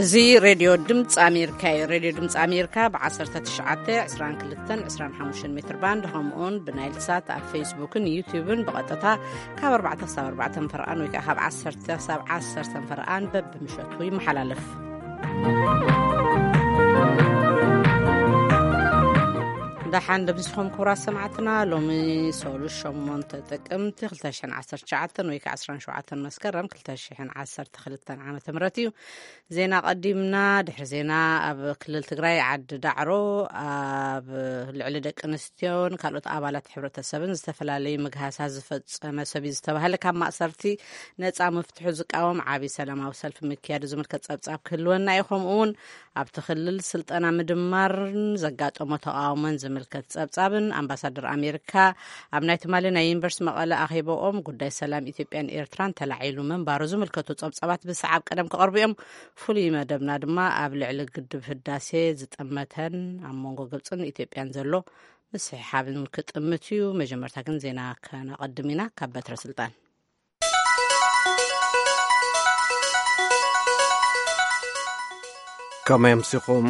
እዚ ሬድዮ ድምፂ ኣሜሪካ እዩ። ሬድዮ ድምፂ ኣሜሪካ ብ19፣ 22፣ 25 ሜትር ባንድ፣ ከምኡውን ብናይል ሳት ኣብ ፌስቡክን ዩቲዩብን ብቐጥታ ካብ ኣርባዕተ ክሳብ ኣርባዕተ ፈርቓን ወይ ከዓ ካብ ዓሰርተ ክሳብ ዓሰርተ ፈርቓን በብምሸቱ ይመሓላለፍ። ደሓን ደምስኹም ክቡራት ሰማዕትና። ሎሚ ሶሉስ ሸሞንተ ጥቅምቲ ክልተ ሽሕን ዓሰርተ ትሽዓተን ወይ ከዓ ዕስራን ሸውዓተን መስከረም ክልተ ሽሕን ዓሰርተ ክልተን ዓመተ ምህረት እዩ። ዜና ቀዲምና። ድሕሪ ዜና፣ ኣብ ክልል ትግራይ ዓዲ ዳዕሮ ኣብ ልዕሊ ደቂ ኣንስትዮን ካልኦት ኣባላት ሕብረተሰብን ዝተፈላለዩ ምግሃሳት ዝፈጸመ ሰብ እዩ ዝተባህለ ካብ ማእሰርቲ ነጻ ምፍትሑ ዝቃወም ዓቢ ሰላማዊ ሰልፊ ምክያዱ ዝምልከት ጸብጻብ ክህልወና እዩ። ከምኡ እውን ኣብቲ ክልል ስልጠና ምድማርን ዘጋጠሞ ተቃውሞን ዝምልከት ጸብጻብን ኣምባሳደር ኣሜሪካ ኣብ ናይ ትማሊ ናይ ዩኒቨርሲቲ መቐለ ኣኼባኦም ጉዳይ ሰላም ኢትዮጵያን ኤርትራን ተላዒሉ ምንባሩ ዝምልከቱ ጸብጻባት ብሰዓብ ቀደም ክቐርቡ እዮም። ፍሉይ መደብና ድማ ኣብ ልዕሊ ግድብ ህዳሴ ዝጠመተን ኣብ መንጎ ግብጽን ኢትዮጵያን ዘሎ ምስሕሓብን ክጥምት እዩ። መጀመርታ ግን ዜና ከነቐድም ኢና። ካብ በትረ ስልጣን። ከመይ ኣምሲኹም?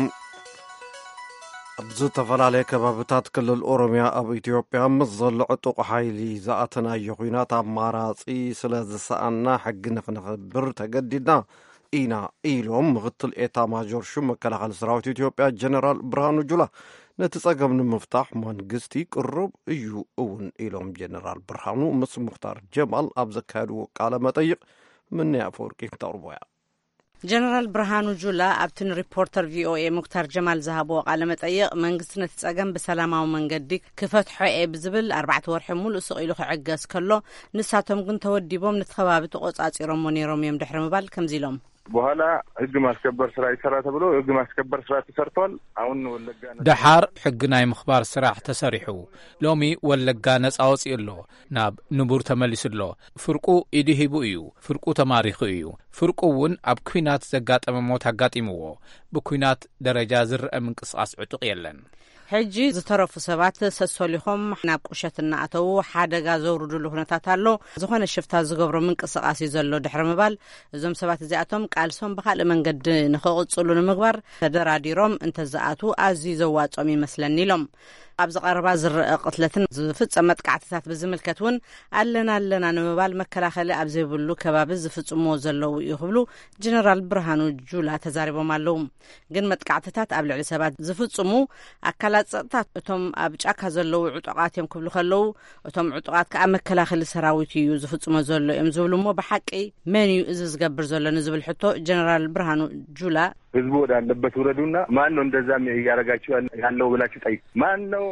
ኣብ ዝተፈላለየ ከባብታት ክልል ኦሮምያ ኣብ ኢትዮጵያ ምስ ዘሎ ዕጡቕ ሓይሊ ዝኣተናዮ ኲናት ኣማራጺ ስለ ዝሰኣና፣ ሕጊ ንኽነኽብር ተገዲድና ኢና ኢሎም ምኽትል ኤታ ማጆር ሹም መከላኸሊ ሰራዊት ኢትዮጵያ ጀነራል ብርሃኑ ጁላ። ነቲ ጸገም ንምፍታሕ መንግስቲ ቅሩብ እዩ እውን ኢሎም ጀነራል ብርሃኑ። ምስ ሙኽታር ጀማል ኣብ ዘካየድዎ ቃለ መጠይቕ ምንያ ኣፈወርቂ ክተቕርቦ እያ። ጀነራል ብርሃኑ ጁላ ኣብቲ ንሪፖርተር ቪኦኤ ሙክታር ጀማል ዝሃብዎ ቃለ መጠይቕ፣ መንግስቲ ነቲ ጸገም ብሰላማዊ መንገዲ ክፈትሖ እየ ብዝብል ኣርባዕተ ወርሒ ሙሉእ ስቕ ኢሉ ክዕገስ ከሎ፣ ንሳቶም ግን ተወዲቦም ነቲ ከባቢ ተቖጻጺሮሞ ነይሮም እዮም ድሕሪ ምባል ከምዚ ኢሎም። በኋላ ህግ ማስከበር ስራ ይሰራ ተብሎ፣ ህግ ማስከበር ስራ ተሰርቷል። አሁን ወለጋ ነጻ። ደሓር ሕጊ ናይ ምኽባር ስራሕ ተሰሪሑ፣ ሎሚ ወለጋ ነጻ ወጺኡ ኣሎ፣ ናብ ንቡር ተመሊሱ ኣሎ። ፍርቁ ኢዱ ሂቡ እዩ፣ ፍርቁ ተማሪኹ እዩ፣ ፍርቁ እውን ኣብ ኲናት ዘጋጠመ ሞት ኣጋጢምዎ። ብኲናት ደረጃ ዝረአ ምንቅስቓስ ዕጡቕ የለን። ሕጂ ዝተረፉ ሰባት ሰሶሊኾም ናብ ቁሸት እናኣተዉ ሓደጋ ዘውርድሉ ኩነታት ኣሎ። ዝኾነ ሽፍታ ዝገብሮ ምንቅስቓስ እዩ ዘሎ ድሕሪ ምባል፣ እዞም ሰባት እዚኣቶም ቃልሶም ብኻልእ መንገዲ ንኽቕጽሉ ንምግባር ተደራዲሮም እንተዝኣትዉ ኣዝዩ ዘዋጾም ይመስለኒ ኢሎም። ኣብዚ ቀረባ ዝረአ ቅትለትን ዝፍጸም መጥቃዕትታት ብዝምልከት እውን ኣለና ኣለና ንምባል መከላኸሊ ኣብ ዘይብሉ ከባቢ ዝፍጽምዎ ዘለዉ እዩ ክብሉ ጀነራል ብርሃኑ ጁላ ተዛሪቦም ኣለዉ። ግን መጥቃዕትታት ኣብ ልዕሊ ሰባት ዝፍጽሙ ኣካላት ጸጥታ፣ እቶም ኣብ ጫካ ዘለዉ ዕጡቓት እዮም ክብሉ ከለዉ፣ እቶም ዕጡቓት ከኣ መከላኸሊ ሰራዊት እዩ ዝፍጽሞ ዘሎ እዮም ዝብሉ። እሞ ብሓቂ መን እዩ እዚ ዝገብር ዘሎ ንዝብል ሕቶ ጀነራል ብርሃኑ ጁላ፣ ህዝቡ ወዳለበት ውረዱና፣ ማን ነው እንደዛ እያረጋችሁ ያለ-፣ ያለው ብላችሁ ጠይቁ። ማን ነው?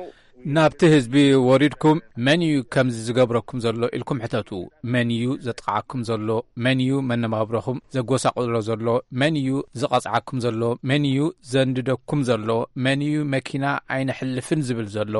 ናብቲ ህዝቢ ወሪድኩም መን እዩ ከምዚ ዝገብረኩም ዘሎ ኢልኩም ሕተቱ። መን እዩ ዘጥቕዓኩም ዘሎ? መን እዩ መነባብሮኹም ዘጎሳቕሎ ዘሎ? መን እዩ ዝቐጽዓኩም ዘሎ? መን እዩ ዘንድደኩም ዘሎ? መን እዩ መኪና ኣይነሕልፍን ዝብል ዘሎ?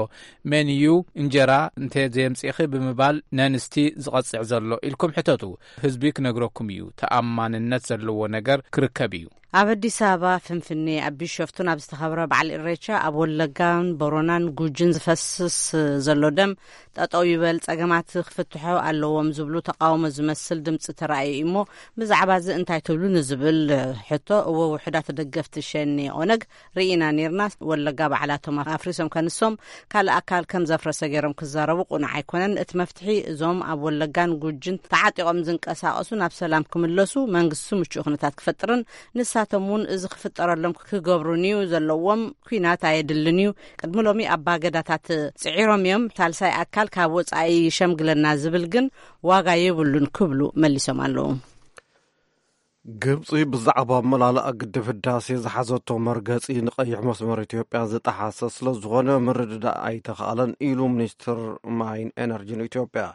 መን እዩ እንጀራ እንተ ዘየምጺእኺ ብምባል ነንስቲ ዝቐጽዕ ዘሎ ኢልኩም ሕተቱ። ህዝቢ ክነግረኩም እዩ። ተኣማንነት ዘለዎ ነገር ክርከብ እዩ። ኣብ ኣዲስ ኣበባ ፍንፍኔ፣ ኣብ ቢሾፍቱን ኣብ ዝተኸብረ በዓል ኢሬቻ፣ ኣብ ወለጋን ቦሮናን ጉጅን ዝፈስስ ዘሎ ደም ጠጠው ይበል፣ ጸገማት ክፍትሑ ኣለዎም ዝብሉ ተቃውሞ ዝመስል ድምፂ ተራእዩ እሞ፣ ብዛዕባ እዚ እንታይ ትብሉ ንዝብል ሕቶ፣ እወ፣ ውሑዳት ደገፍቲ ሸኔ ኦነግ ርኢና ኔርና፣ ወለጋ ባዕላቶም ኣፍሪሶም ከንሶም ካልእ ኣካል ከም ዘፍረሰ ገይሮም ክዛረቡ ቁኑዕ ኣይኮነን። እቲ መፍትሒ እዞም ኣብ ወለጋን ጉጅን ተዓጢቖም ዝንቀሳቐሱ ናብ ሰላም ክምለሱ መንግስቲ ምቹእ ኩነታት ክፈጥርን ንሳቶም እውን እዚ ክፍጠረሎም ክገብሩን እዩ ዘለዎም። ኲናት ኣየድልን እዩ። ቅድሚ ሎሚ ኣባገዳታት ጽዒሮም እዮም። ሳልሳይ ኣካል ካብ ወጻኢ ይሸምግለና ዝብል ግን ዋጋ የብሉን ክብሉ መሊሶም ኣለዉ። ግብጺ ብዛዕባ ኣመላልኣ ግድብ ህዳሴ ዝሓዘቶ መርገጺ ንቐይሕ መስመር ኢትዮጵያ ዝጠሓሰ ስለ ዝኾነ ምርድዳእ ኣይተኻእለን ኢሉ ሚኒስትር ማይን ኤነርጂን ኢትዮጵያ።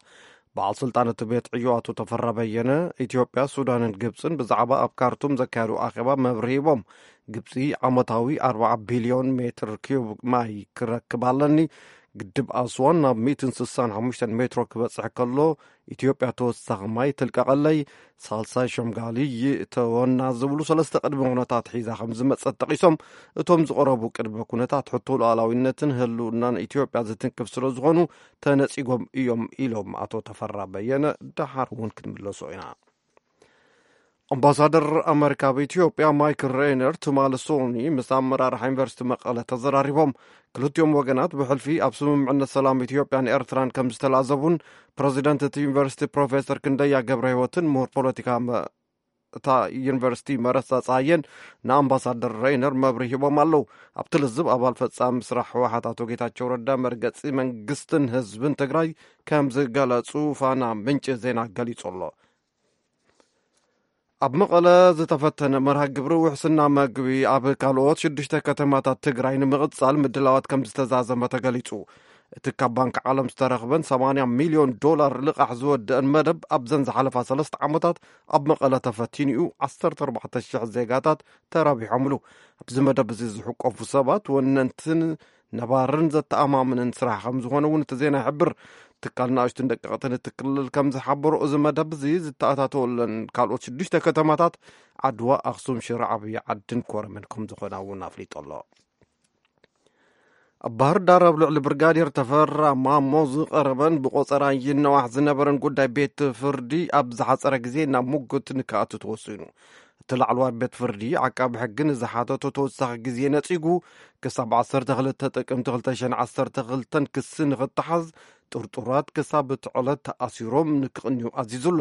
በዓል ስልጣን እቲ ቤት ዕዮ ኣቶ ተፈራ በየነ፣ ኢትዮጵያ፣ ሱዳንን ግብጽን ብዛዕባ ኣብ ካርቱም ዘካየዱ ኣኼባ መብርሂ ሂቦም። ግብጺ ዓመታዊ ኣርባዓ ቢልዮን ሜትር ኪዩብ ማይ ክረክብ ኣለኒ፣ ግድብ ኣስዋን ናብ ሚእትን ስሳን ሓሙሽተን ሜትሮ ክበጽሕ ከሎ፣ ኢትዮጵያ ተወሳኺ ማይ ትልቀቐለይ፣ ሳልሳይ ሸምጋሊ ይእተወና ዝብሉ ሰለስተ ቅድመ ኩነታት ሒዛ ከም ዝመጸት ጠቒሶም፣ እቶም ዝቐረቡ ቅድመ ኩነታት ሕቶ ሉዓላዊነትን ህልውናን ኢትዮጵያ ዝትንክፍ ስለ ዝኾኑ ተነጺጎም እዮም ኢሎም ኣቶ ተፈራ በየነ። ደሓር እውን ክንምለሶ ኢና። ኣምባሳደር ኣመሪካ ኣብ ኢትዮጵያ ማይክል ሬይነር ትማሊ ሶኒ ምስ ኣመራርሓ ዩኒቨርሲቲ መቐለ ተዘራሪቦም። ክልቲኦም ወገናት ብሕልፊ ኣብ ስምምዕነት ሰላም ኢትዮጵያን ኤርትራን ከም ዝተላዘቡን ፕረዚደንት እቲ ዩኒቨርሲቲ ፕሮፌሰር ክንደያ ገብረ ህይወትን ምሁር ፖለቲካ መ- እታ ዩኒቨርሲቲ መረሳ ጸሃየን ንኣምባሳደር ሬይነር መብርሂ ሂቦም ኣለዉ። ኣብቲ ልዝብ ኣባል ፈጻሚ ስራሕ ህወሓት ኣቶ ጌታቸው ረዳ መርገጺ መንግስትን ህዝብን ትግራይ ከም ዝገለጹ ፋና ምንጪ ዜና ገሊጹ ኣሎ። ኣብ መቐለ ዝተፈተነ መርሃ ግብሪ ውሕስና መግቢ ኣብ ካልኦት ሽዱሽተ ከተማታት ትግራይ ንምቕጻል ምድላዋት ከም ዝተዛዘመ ተገሊጹ። እቲ ካብ ባንክ ዓለም ዝተረኽበን ሰማንያ ሚልዮን ዶላር ልቓሕ ዝወደአን መደብ ኣብዘን ዝሓለፋ ሰለስተ ዓመታት ኣብ መቐለ ተፈቲኑ እዩ። ዓሰርተ ኣርባዕተ ሽሕ ዜጋታት ተረቢሖምሉ። ኣብዚ መደብ እዚ ዝሕቆፉ ሰባት ወነንትን ነባርን ዘተኣማምንን ስራሕ ከም ዝኾነ እውን እቲ ዜና ይሕብር። ትካል ንኣሽቱን ደቀቕትን እቲ ክልል ከም ዝሓበሮ፣ እዚ መደብ እዚ ዝተኣታተወለን ካልኦት ሽዱሽተ ከተማታት ዓድዋ፣ ኣኽሱም፣ ሽረ፣ ዓብዪ ዓድን ኮረምን ከም ዝኾና እውን ኣፍሊጡ ኣሎ። ኣብ ባህር ዳር ኣብ ልዕሊ ብርጋዴር ተፈራ ማሞ ዝቐረበን ብቆጸራ ይነዋሕ ዝነበረን ጉዳይ ቤት ፍርዲ ኣብ ዝሓጸረ ግዜ ናብ ሙግት ንክኣቱ ተወሲኑ። እቲ ላዕለዋይ ቤት ፍርዲ ዓቃቢ ሕጊ ንዝሓተቶ ተወሳኺ ግዜ ነጺጉ፣ ክሳብ ዓሰርተ ክልተ ጥቅምቲ ክልተ ሽሕን ዓሰርተ ክልተን ክሲ ንኽተሓዝ ጥርጡራት ክሳብ እቲ ዕለት ተኣሲሮም ንክቕንዩ ኣዚዙ ኣሎ።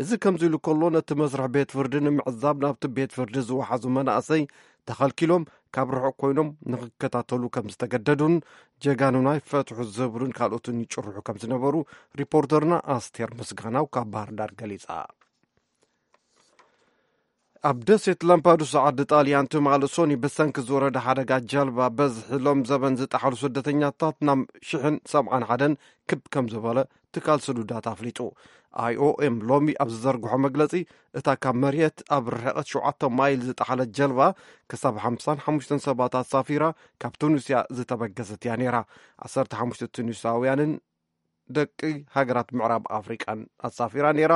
እዚ ከምዚ ኢሉ ከሎ፣ ነቲ መስርሕ ቤት ፍርዲ ንምዕዛብ ናብቲ ቤት ፍርዲ ዝወሓዙ መናእሰይ ተኸልኪሎም ካብ ርሑቕ ኮይኖም ንኽከታተሉ ከም ዝተገደዱን ጀጋኑና ይፈትሑ ዝብሉን ካልኦትን ይጭርሑ ከም ዝነበሩ ሪፖርተርና ኣስቴር ምስጋናው ካብ ባህር ዳር ገሊጻ። ኣብ ደሴት ላምፓዱሳ ዓዲ ጣልያን ትማሊ ሶኒ ብሰንኪ ዝወረደ ሓደጋ ጀልባ በዝሒ ሎም ዘበን ዝጠሓሉ ስደተኛታት ናብ ሽሕን ሰብዓን ሓደን ክብ ከም ዝበለ ትካል ስዱዳት ኣፍሊጡ። ኣይኦኤም ሎሚ ኣብ ዝዘርግሖ መግለጺ፣ እታ ካብ መሬት ኣብ ርሕቐት ሸውዓተ ማይል ዝጠሓለት ጀልባ ክሳብ ሓምሳን ሓሙሽተን ሰባት ኣሳፊራ ካብ ቱኒስያ ዝተበገሰት እያ ነይራ። ዓሰርተ ሓሙሽተ ቱኒሳውያንን ደቂ ሃገራት ምዕራብ ኣፍሪቃን ኣሳፊራ ነይራ።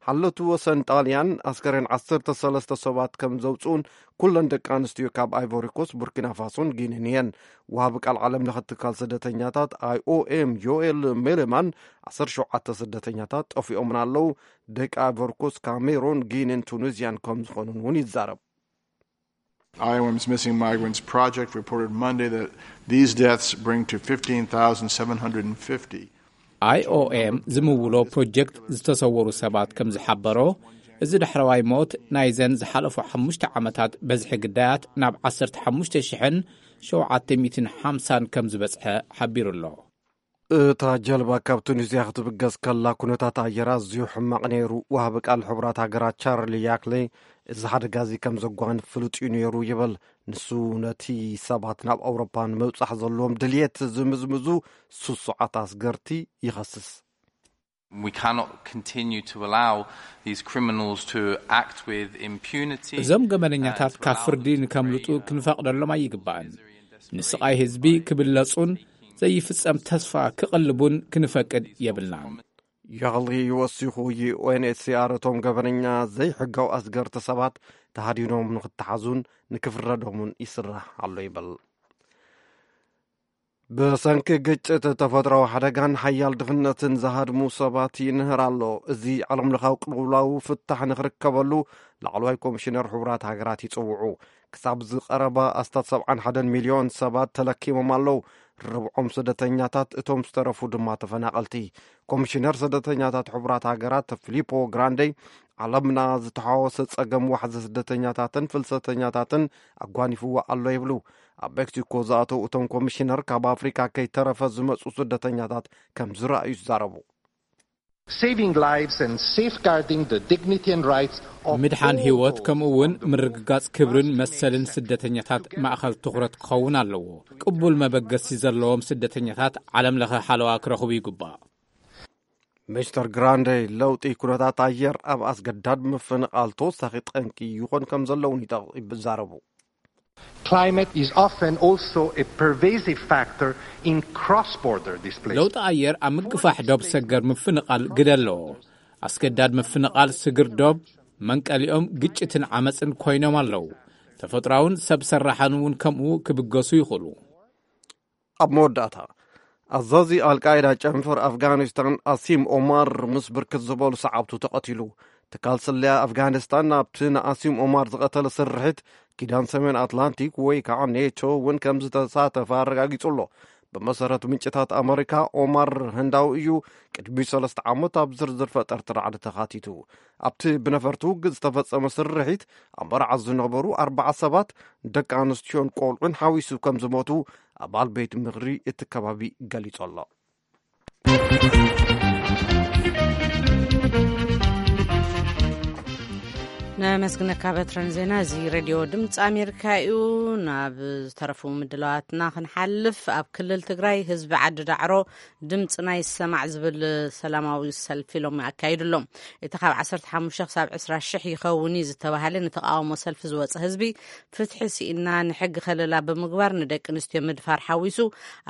ሓለቱ ወሰን ጣልያን ኣስከሬን ዓሰርተ ሰለስተ ሰባት ከም ዘውፅኡን ኩለን ደቂ ኣንስትዮ ካብ ኣይቮሪኮስ፣ ቡርኪና ፋሶን ጊኒን እየን። ወሃቢ ቃል ዓለም ለኸ ትካል ስደተኛታት ኣይኦኤም ዮኤል ሜሌማን፣ ዓሰርተ ሸውዓተ ስደተኛታት ጠፊኦምን ኣለዉ። ደቂ ኣይቮሪኮስ፣ ካሜሮን፣ ጊኒን ቱኒዝያን ከም ዝኾኑን እውን ይዛረብ። I O M's Missing Migrants Project reported Monday that these deaths bring to fifteen thousand seven hundred fifty. ኣይኦኤም ዝምውሎ ፕሮጀክት ዝተሰወሩ ሰባት ከም ዝሓበሮ፣ እዚ ዳሕረዋይ ሞት ናይዘን ዝሓለፉ ሓሙሽተ ዓመታት በዝሒ ግዳያት ናብ ዓሰርተ ሓሙሽተ ሽሕን ሸውዓተ ሚእትን ሓምሳን ከም ዝበጽሐ ሓቢሩ ኣሎ። እታ ጀልባ ካብ ቱኒዝያ ክትብገስ ከላ ኩነታት ኣየር ኣዝዩ ሕማቕ ነይሩ። ወሃቢ ቃል ሕቡራት ሃገራት ቻርሊ ያክሌ፣ እዚ ሓደጋ እዚ ከም ዘጓንፍ ፍሉጥ እዩ ነይሩ ይብል። ንሱ ነቲ ሰባት ናብ ኣውሮፓ ንምብጻሕ ዘለዎም ድልየት ዝምዝምዙ ስሱዓት ኣስገርቲ ይኸስስ። We cannot continue to allow these criminals to act with impunity. እዞም ገበነኛታት ካብ ፍርዲ ንከምልጡ ክንፈቕደሎም ኣይግባእን። ንስቓይ ህዝቢ ክብለጹን ዘይፍጸም ተስፋ ክቕልቡን ክንፈቅድ የብልናን። ያህሊ ወሲኹ፣ ዩ ኤን ኤች ሲ ኣር እቶም ገበነኛ ዘይሕጋዊ ኣስገርቲ ሰባት ተሃዲኖም ንክተሓዙን ንክፍረዶምን ይስራሕ ኣሎ ይብል። ብሰንኪ ግጭት፣ ተፈጥሮዊ ሓደጋን ሓያል ድኽነትን ዝሃድሙ ሰባት ይንህር ኣሎ። እዚ ዓለምለኻዊ ቅልውላው ፍታሕ ንኽርከበሉ ላዕለዋይ ኮሚሽነር ሕቡራት ሃገራት ይጽውዑ። ክሳብ ዝቐረባ ኣስታት ሰብዓን ሓደን ሚልዮን ሰባት ተለኪሞም ኣለዉ። ርብዖም ስደተኛታት፣ እቶም ዝተረፉ ድማ ተፈናቐልቲ። ኮሚሽነር ስደተኛታት ሕቡራት ሃገራት ፊሊፖ ግራንዴ፣ ዓለምና ዝተሓዋወሰ ጸገም ዋሕዚ ስደተኛታትን ፍልሰተኛታትን ኣጓኒፍዋ ኣሎ ይብሉ። ኣብ ሜክሲኮ ዝኣተው እቶም ኮሚሽነር፣ ካብ ኣፍሪካ ከይተረፈ ዝመጹ ስደተኛታት ከም ዝረኣዩ ይዛረቡ። Saving lives and safeguarding the dignity and rights of ምድሓን all ህይወት those ከምኡ እውን on the ምርግጋጽ ክብርን መሰልን ስደተኛታት ማእኸል ትኹረት ክኸውን ኣለዎ። ቅቡል መበገሲ ዘለዎም ስደተኛታት ዓለም ለኸ ሓለዋ ክረኽቡ ይግባእ። ሚስተር ግራንዴ፣ ለውጢ ኩነታት ኣየር ኣብ ኣስገዳድ ምፍንቓል ተወሳኺ ጠንቂ ይኾን ከም ዘለውን ይጠቕ- ይዛረቡ። Climate is often also a pervasive factor in cross-border displacement. ለውጢ ኣየር ኣብ ምግፋሕ ዶብ ሰገር ምፍንቓል ግደ ኣለዎ። ኣስገዳድ ምፍንቓል ስግር ዶብ መንቀሊኦም ግጭትን ዓመፅን ኮይኖም ኣለዉ። ተፈጥሮኣውን ሰብ ሰራሕን እውን ከምኡ ክብገሱ ይኽእሉ። ኣብ መወዳእታ፣ ኣዛዚ ኣልቃይዳ ጨንፈር ኣፍጋኒስታን ኣሲም ኦማር ምስ ብርክት ዝበሉ ሰዓብቱ ተቐቲሉ። ትካል ስለያ ኣፍጋኒስታን ኣብቲ ንኣሲም ኦማር ዝቐተለ ስርሒት ኪዳን ሰሜን ኣትላንቲክ ወይ ከዓ ኔቶ እውን ከም ዝተሳተፈ ኣረጋጊጹ ኣሎ። ብመሰረት ምንጭታት ኣመሪካ፣ ኦማር ህንዳዊ እዩ። ቅድሚ ሰለስተ ዓመት ኣብ ዝርዝር ፈጠርቲ ራዕዲ ተኻቲቱ። ኣብቲ ብነፈርቲ ውግእ ዝተፈጸመ ስርሒት ኣብ መርዓ ዝነበሩ ኣርባዓ ሰባት፣ ደቂ ኣንስትዮን ቆልዑን ሓዊሱ ከም ዝሞቱ ኣባል ቤት ምኽሪ እቲ ከባቢ ገሊጹ ኣሎ። ነመስግነካ በትረን ዜና። እዚ ሬድዮ ድምፂ ኣሜሪካ እዩ። ናብ ዝተረፉ ምድላዋትና ክንሓልፍ፣ ኣብ ክልል ትግራይ ህዝቢ ዓዲ ዳዕሮ ድምፅና ይሰማዕ ዝብል ሰላማዊ ሰልፊ ሎሚ ኣካይዱ ኣሎ። እቲ ካብ ዓሰርተ ሓሙሽተ ክሳብ ዕስራ ሽሕ ይኸውን እዩ ዝተባሃለ ንተቃውሞ ሰልፊ ዝወፀ ህዝቢ፣ ፍትሒ ስኢና ንሕጊ ከለላ ብምግባር ንደቂ ኣንስትዮ ምድፋር ሓዊሱ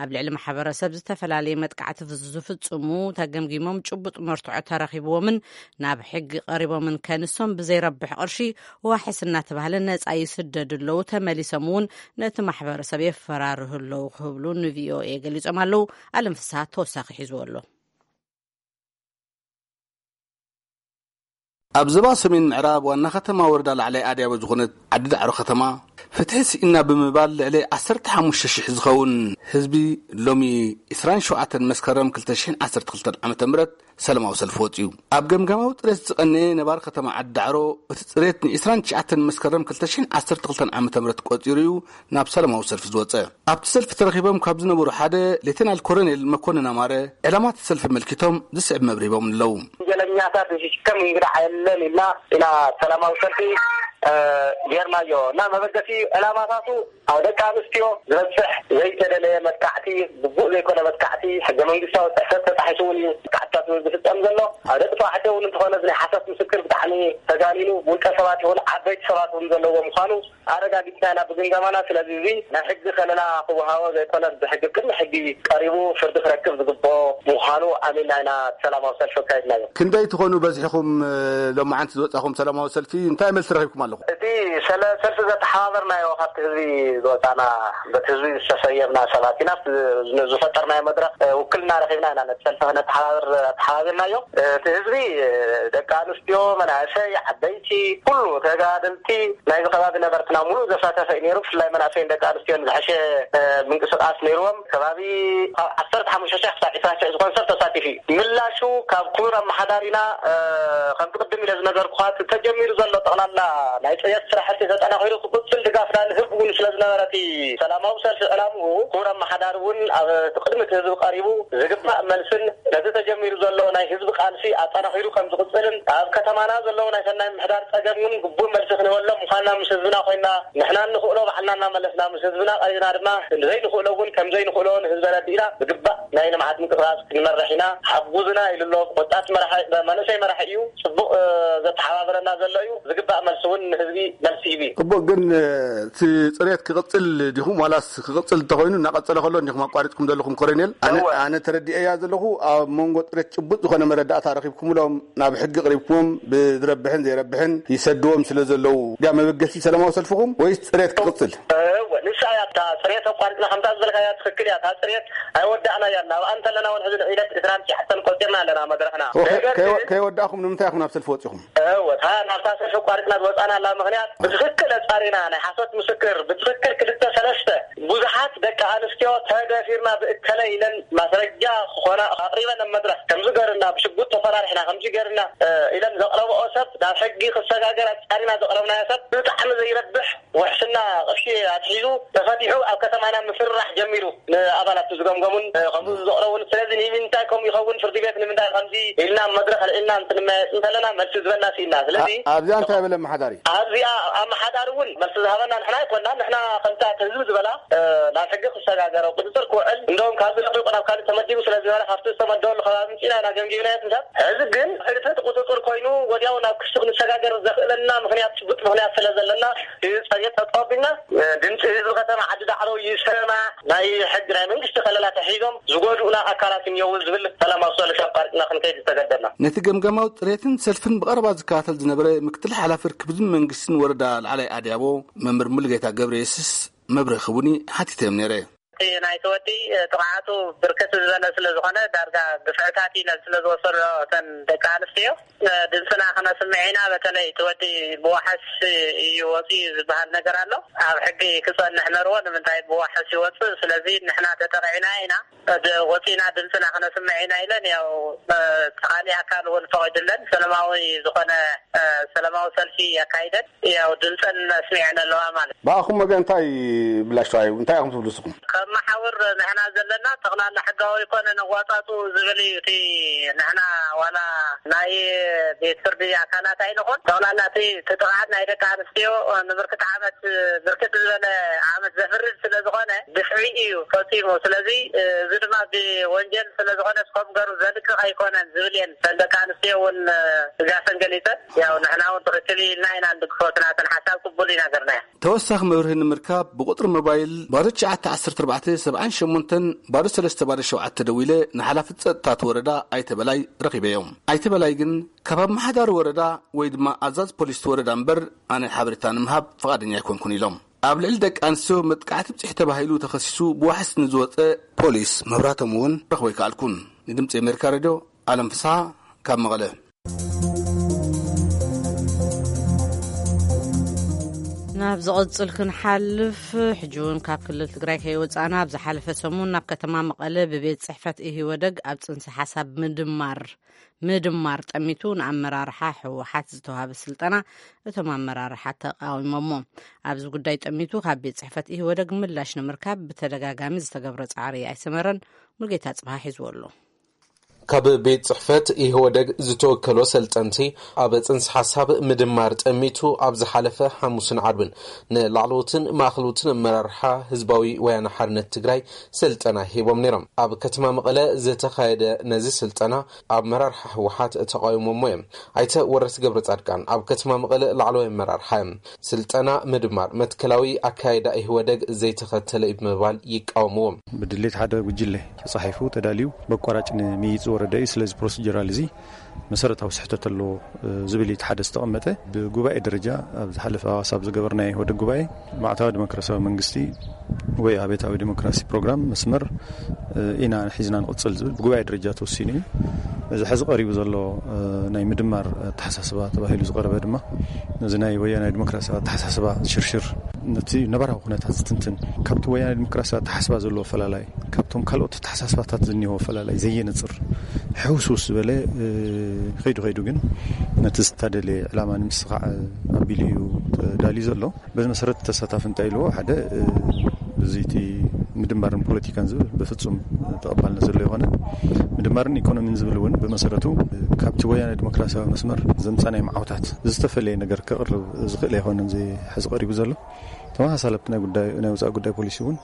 ኣብ ልዕሊ ማሕበረሰብ ዝተፈላለየ መጥቃዕቲ ዝፍፅሙ ተገምጊሞም ጭቡጥ መርትዖ ተረኺብዎምን ናብ ሕጊ ቀሪቦምን ከንሶም ብዘይረብሕ ቅርሺ ዋሕስ እናተባህለ ነፃ ይስደዱ ኣለዉ። ተመሊሶም እውን ነቲ ማሕበረሰብ የፈራርሁ ኣለዉ ክብሉ ንቪኦኤ ገሊፆም ኣለዉ። ኣለም ፍስሃ ተወሳኺ ሒዝዎ ኣሎ። ኣብ ዞባ ሰሜን ምዕራብ ዋና ከተማ ወረዳ ላዕላይ ኣድያቦ ዝኾነት ዓዲ ዳዕሮ ከተማ ፍትሒ ስኢና ብምባል ልዕሊ ዓሰርተ ሓሙሽተ ሽሕ ዝኸውን ህዝቢ ሎሚ ዕስራን ሸውዓተን መስከረም ክልተ ሽሕን ዓሰርተ ክልተን ዓመተ ምህረት ሰላማዊ ሰልፊ ወጺኡ። ኣብ ገምጋማዊ ጽሬት ዝቐነየ ነባሪ ከተማ ዓዲ ዳዕሮ እቲ ጽሬት ንዕስራን ትሽዓተን መስከረም ክልተ ሽሕን ዓሰርተ ክልተን ዓመተ ምህረት ቆጺሩ እዩ ናብ ሰላማዊ ሰልፊ ዝወጸ። ኣብቲ ሰልፊ ተረኺቦም ካብ ዝነበሩ ሓደ ሌተናል ኮሎኔል መኮንን ኣማረ ዕላማ እቲ ሰልፊ ኣመልኪቶም ዝስዕብ መብርሂ ሂቦም ኣለዉ። ወንጀለኛታት ዝሽከም እንግዳ የለን ኢልና ኢና ሰላማዊ ሰልፊ፣ እ፣ ጌርናዮ እና መበገሲ ዕላማታቱ ኣብ ደቂ ኣንስትዮ ዝበፅሕ ዘይተደለየ መጥቃዕቲ፣ ግቡእ ዘይኮነ መጥቃዕቲ፣ ሕገ መንግስታዊ ጥሕሰት ተጣሒሱ እውን እዩ መጥቃዕትታት ዝፍፀም ዘሎ። ኣብ ደቂ ተባዕትዮ እውን እንተኾነ እዚ ናይ ሓሶት ምስክር ብጣዕሚ ተጋኒኑ፣ ውልቀ ሰባት ይኹን ዓበይቲ ሰባት እውን ዘለዎ ምዃኑ ኣረጋጊፅና ኢና ብግምገማና። ስለዚ እዚ ናይ ሕጊ ከለላ ክወሃቦ ዘይኮነስ ብሕጊ ቅድሚ ሕጊ ቀሪቡ ፍርዲ ክረክብ ዝግብኦ ምዃኑ ኣሚንና ኢና ሰላማዊ ሰልፊ ኣካይድናዮ። ክንደይ ትኾኑ በዚሕኹም፣ እ፣ ሎማዓንቲ ዝወጻኹም ሰላማዊ ሰልፊ? እንታይ መልሲ ረኺብኩም ኣለኹም? እቲ ሰለ-፣ ሰልፊ ዘተሓባበርናዮ ካብቲ ህዝቢ ዝወጻና፣ በቲ ህዝቢ ዝተሰየምና ሰባት ኢና። ዝ-፣ ዝፈጠርናዮ መድረኽ፣ እ፣ ውክልና ረኺብና ኢና ነቲ ሰልፊ ክነተሓባብር ኣተሓባቢርናዮ። እቲ ህዝቢ፣ እ፣ ደቂ ኣንስትዮ፣ መናእሰይ፣ ዓበይቲ፣ ኩሉ ተጋደልቲ ናይዚ ከባቢ ነበርትና ሙሉእ ዘሳተፈ እዩ ነይሩ። ብፍላይ መናእሰይን ደቂ ኣንስትዮን ዝሐሸ፣ እ፣ ምንቅስቃስ ነይርዎም። ከባቢ ካብ ዓሰርተ ሓሙሽተ ሽሕ ክሳብ ዕስራ ሽሕ ዝኾን ሰብ ተሳቲፉ እዩ። ምላሹ ካብ ክቡር ኣመሓዳሪና፣ እ፣ ከምቲ ቅድም ኢለ ዝነገርኩኻ፣ እቲ ተጀሚሩ ዘሎ ጠቕላላ ናይ ጽሬት ስራሕቲ ተጠናኺሩ ክቕጽል ድጋፍና ንህብ እውን ስለ ዝነበረ፣ እቲ ሰላማዊ ሰልፊ ዕላምኡ ክቡር ኣመሓዳሪ እውን ኣብ ቅድሚ እቲ ህዝቢ ቀሪቡ ዝግባእ መልስን ነቲ ተጀሚሩ ዘሎ ናይ ህዝቢ ቃልሲ ኣጠናኺሩ ከም ዝቕጽልን ኣብ ከተማና ዘለዉ ናይ ሰናይ ምምሕዳር ጸገም እውን ግቡእ መልሲ ክንህበሎም ምዃንና ምስ ህዝብና ኮይና ንሕና እንኽእሎ ባዕልና እናመለስና ምስ ህዝብና ቀሪብና ድማ ዘይንኽእሎ እውን ከም ዘይንኽእሎ ንህዝቢ ኣረዲእና ብግባእ ናይ ልምዓት ምንቅስቃስ ክንመርሕ ኢና። ሓጉዝና ኢሉ ኣሎ። ወጣት መራሒ፣ መንእሰይ መራሒ እዩ። ጽቡቕ፣ እ፣ ዘተሓባብረና ዘሎ እዩ። ዝግባእ መልሲ እውን ንህዝቢ መልሲ ይህብ እዩ። ጽቡቕ፣ ግን፣ እ፣ እቲ ጽሬት ክቕጽል ዲኹም ዋላስ ክቕጽል እንተኾይኑ እናቐጸለ ከሎ እንዲኹም ኣቋሪጽኩም ዘለኹም ኮሎኔል? ኣነ፣ እወ። ኣነ ተረዲኤያ ዘለኹ ኣብ መንጎ ጽሬት ጭቡጥ ዝኾነ መረዳእታ ረኺብኩምሎም ናብ ሕጊ ቅሪብኩዎም ብዝረብሕን ዘይረብሕን ይሰድዎም ስለ ዘለዉ ድያ መበገሲ ሰላማዊ ሰልፍኹም ወይስ ጽሬት ክቕጽል? እወ፣ ንሳ እያ እታ ጽሬት ኣቋሪጽና ከምታ ዝበልካያ ትኽክል እያ። እታ ጽሬት ኣይወዳእናያን። ኣብኣ እንተለና እውን ሕዚ ንዒለት ዕስራን ትሽዓተን ቆጺርና ኣለና መድረኽና። እወ፣ ከይ-፣ ነገር ከይ-፣ ግን ከይወዳእኹም ንምንታይ ኢኹም ናብ ሰልፊ ወጺኹም? እወ፣ እታ ናብታ ሰልፊ ኣቋሪጽና ዝወጻናላ ምኽንያት ብትኽክል ኣጻሪና፣ ናይ ሓሶት ምስክር ብትኽክል ክልተ ሰለስተ ብዙሓት ደቂ ኣንስትዮ ተደፊርና ብእከለ ኢለን ማስረጃ ክኾና ኣቕሪበን ኣብ መድረኽ ከምዚ ገርና፣ ብሽጉጥ ተፈራሪሕና፣ ከምዚ ገርና፣ እ፣ ኢለን ዘቕረብኦ ሰብ ናብ ሕጊ ክሰጋገር ኣጻሪና ዘቕረብናዮ ሰብ ብጣዕሚ ዘይረብሕ ውሕስና ቅርሺ ኣትሒዙ ተፈቲሑ ኣብ ከተማና ምፍርራሕ ጀሚሩ። ንኣባላት ዝገምገሙን፣ እ፣ ከምኡ ዘቕረቡን፣ ስለዚ ንምንታይ ከምኡ ይኸውን፣ ፍርዲ ቤት ንምንታይ ከምዚ ኢልና ኣብ መድረኽ ኣልዒልና እንትንመያየጥ እንተለና መልሲ ዝበና ስኢና። ስለዚ ኣ-፣ ኣብዚኣ እንታይ በለ ኣመሓዳሪ? ኣብዚኣ ኣመሓዳሪ እውን መልሲ ዝሃበና ንሕና ኣይኮንና። ንሕና ከምታ እቲ ህዝቢ ዝበላ፣ እ፣ ናብ ሕጊ ክሰጋገር፣ ኣብ ቁፅፅር ክውዕል፣ እንደውም ካብዚ ለቒቑ ናብ ካልእ ተመዲቡ ስለ ዝበለ ካብቲ ዝተመደበሉ ከባቢ ምፂና ኢና ገምጊምናዮ። ትንሳብ ሕዚ ግን ሕድሕድ ቁፅፅር ኮይኑ ወዲያው ናብ ክሲ ክንሰጋገር ዘኽእለና ምኽንያት፣ ጭቡጥ ምኽንያት ስለ ዘለና፣ እዚ ጸገም ጠጠው ኣቢልና፣ እ፣ ድምፂ ህዝቢ ከተማ ዓዲ ዳዕሮ ይሰማዕ። ናይ ሕጊ ናይ መንግስቲ ከለላ ተሒዞም ዝጎድኡና ኣካላት እኒአው ዝብል ሰላማዊ ሰልፊ ኣቋሪፅና ክንከይድ ዝተገደድና። ነቲ ገምጋማዊ ጽሬትን ሰልፍን ብቐረባ ዝከታተል ዝነበረ ምክትል ሓላፊ ርክብን መንግስትን ወረዳ ላዕላይ ኣድያቦ መምህር ሙሉጌታ ገብረየሱስ መብርሂ ክቡኒ ሓቲተዮም ነይረ። ናይቲ ወዲ ጥቕዓቱ ብርክት ዝበለ ስለ ዝኾነ፣ ዳርጋ ግፍዕታት ኢለን ስለ ዝወሰዶ እተን ደቂ ኣንስትዮ፣ ድምፅና ክነስምዕ ኢና። በተለይ እቲ ወዲ ብዋሕስ እዩ ወፂኡ ዝበሃል ነገር ኣሎ። ኣብ ሕጊ ክፀንሕ ነርዎ። ንምንታይ ብዋሕስ ይወፅእ? ስለዚ ንሕና ተጠቂዕና ኢና፣ ወፂና ድምፅና ክነስምዕ ኢና ኢለን፣ ያው ካሊእ ኣካል እውን ፈቒድለን ሰላማዊ ዝኾነ ሰላማዊ ሰልፊ ኣካይደን፣ ያው ድምፀን ኣስሚዐን ኣለዋ ማለት። ብኣኹም ወገን እንታይ ምላሽ ተዋሂቡ? እንታይ ኢኹም ትብሉ ንስኹም? ከም መሓውር ንሕና ዘለና ጠቕላላ ሕጋዊ ኣይኮነን ኣዋፃፅኡ ዝብል እዩ። እቲ ንሕና ዋላ ናይ ቤት ፍርዲ ኣካላት ኣይንኹን፣ ጠቕላላ እቲ እቲ ጥቕዓት ናይ ደቂ ኣንስትዮ ንብርክት ዓመት፣ ብርክት ዝበለ ዓመት ዘፍርድ ስለ ዝኾነ፣ ግፍዒ እዩ ፈፂሙ። ስለዚ እዚ ድማ ብወንጀል ስለ ዝኾነ፣ እስከም ገሩ ዘልቅቕ ኣይኮነን ዝብል እየን። እተን ደቂ ኣንስትዮ እውን ስጋተን ገሊፀን፣ ያው ንሕና እውን ትኽክል እዩ ኢልና ኢና ንድግፎ። እቲ ናተን ሓሳብ ቅቡል ኢና ገርናዮ። ተወሳኺ መብርሂ ንምርካብ ብቁፅሪ ሞባይል ባዶ ትሽዓተ ዓሰርተ ኣርባዕተ ሰብዓን ሸሞንተን ባዶ ሰለስተ ባዶ ሸውዓተ ደዊለ ንሓላፊ ጸጥታ እቲ ወረዳ ኣይተ በላይ ረኺበዮም። ኣይተ በላይ ግን ካብ ኣመሓዳሪ ወረዳ ወይ ድማ ኣዛዝ ፖሊስ እቲ ወረዳ እምበር ኣነ ሓበሬታ ንምሃብ ፍቓደኛ ኣይኮንኩን ኢሎም። ኣብ ልዕሊ ደቂ ኣንስትዮ መጥቃዕቲ ብፅሒ ተባሂሉ ተኸሲሱ ብዋሕስ ንዝወፀ ፖሊስ መብራቶም እውን ረኽቦ ኣይከኣልኩን። ንድምፂ ኣሜሪካ ሬድዮ ኣለም ፍስሓ ካብ መቐለ። ናብ ዝቕጽል ክንሓልፍ፣ ሕጂ እውን ካብ ክልል ትግራይ ከይወጻእና፣ ኣብ ዝሓለፈ ሰሙን ናብ ከተማ መቐለ ብቤት ጽሕፈት ኢህወደግ ኣብ ጽንሰ ሓሳብ ምድማር ምድማር ጠሚቱ ንኣመራርሓ ህወሓት ዝተዋሃበ ስልጠና እቶም ኣመራርሓ ተቃዊሞሞ። ኣብዚ ጉዳይ ጠሚቱ ካብ ቤት ጽሕፈት ኢህወደግ ምላሽ ንምርካብ ብተደጋጋሚ ዝተገብረ ጻዕሪ ኣይሰመረን። ሙልጌታ ጽብሃ ሒዝዎ ኣሎ። ካብ ቤት ጽሕፈት ኢህወደግ ዝተወከሎ ሰልጠንቲ ኣብ ጽንሰ ሓሳብ ምድማር ጠሚቱ ኣብ ዝሓለፈ ሓሙስን ዓርብን ንላዕለዎትን ማእኸሎትን ኣመራርሓ ህዝባዊ ወያነ ሓርነት ትግራይ ስልጠና ሂቦም ነይሮም። ኣብ ከተማ መቐለ ዝተኻየደ ነዚ ስልጠና ኣመራርሓ ህወሓት ተቓዊሞሞ እዮም። ኣይተ ወረስ ገብረ ጻድቃን ኣብ ከተማ መቐለ ላዕለዋይ ኣመራርሓ እዮም። ስልጠና ምድማር መትከላዊ ኣካይዳ ኢህወደግ ዘይተኸተለ እዩ ብምባል ይቃወምዎም። ብድሌት ሓደ ጉጅለ ተጻሒፉ ተዳልዩ በቋራጭ ንምይይጥ ዝወረደ እዩ። ስለዚ ፕሮሲጀራል እዚ መሰረታዊ ስሕተት ኣለዎ ዝብል እቲ ሓደ ዝተቐመጠ። ብጉባኤ ደረጃ ኣብ ዝሓለፈ ኣዋሳብ ዝገበርናዮ ወደ ጉባኤ ማዕታዊ ዲሞክራሲያዊ መንግስቲ ወይ ኣቤታዊ ዲሞክራሲ ፕሮግራም መስመር ኢና ሒዝና ንቕጽል ዝብል ብጉባኤ ደረጃ ተወሲኑ እዩ። እዚ ሕዚ ቀሪቡ ዘሎ ናይ ምድማር ኣተሓሳስባ ተባሂሉ ዝቐረበ ድማ ነዚ ናይ ወያናይ ዲሞክራሲያዊ ኣተሓሳስባ ዝሽርሽር፣ ነቲ ነባራዊ ኩነታት ዝትንትን፣ ካብቲ ወያናይ ዲሞክራሲያዊ ኣተሓሳስባ ዘለዎ ፈላላይ፣ ካብቶም ካልኦት ኣተሓሳስባታት ዝኒሆ ፈላላይ ዘየነጽር፣ ሕውስውስ ዝበለ፣ ከይዱ ከይዱ ግን ነቲ ዝተደለየ ዕላማ ንምስኻዕ ኣቢሉ እዩ ተዳልዩ ዘሎ። በዚ መሰረት ተሳታፊ እንታይ ኢልዎ? ሓደ፣ እዚ እቲ ምድማርን ፖለቲካን ዝብል ብፍጹም ተቐባልነት ዘሎ ይኾነ። ምድማርን ኢኮኖሚን ዝብል እውን ብመሰረቱ ካብቲ ወያነ ዲሞክራሲያዊ መስመር ዘምጻናይ መዓውታት ዝተፈለየ ነገር ከቕርብ ዝኽእል ኣይኮነን። እዚ ሕዚ ቀሪቡ ዘሎ ተመሳሳሊ ኣብቲ ናይ ጉዳይ ናይ ወጻኢ ጉዳይ ፖሊሲ እውን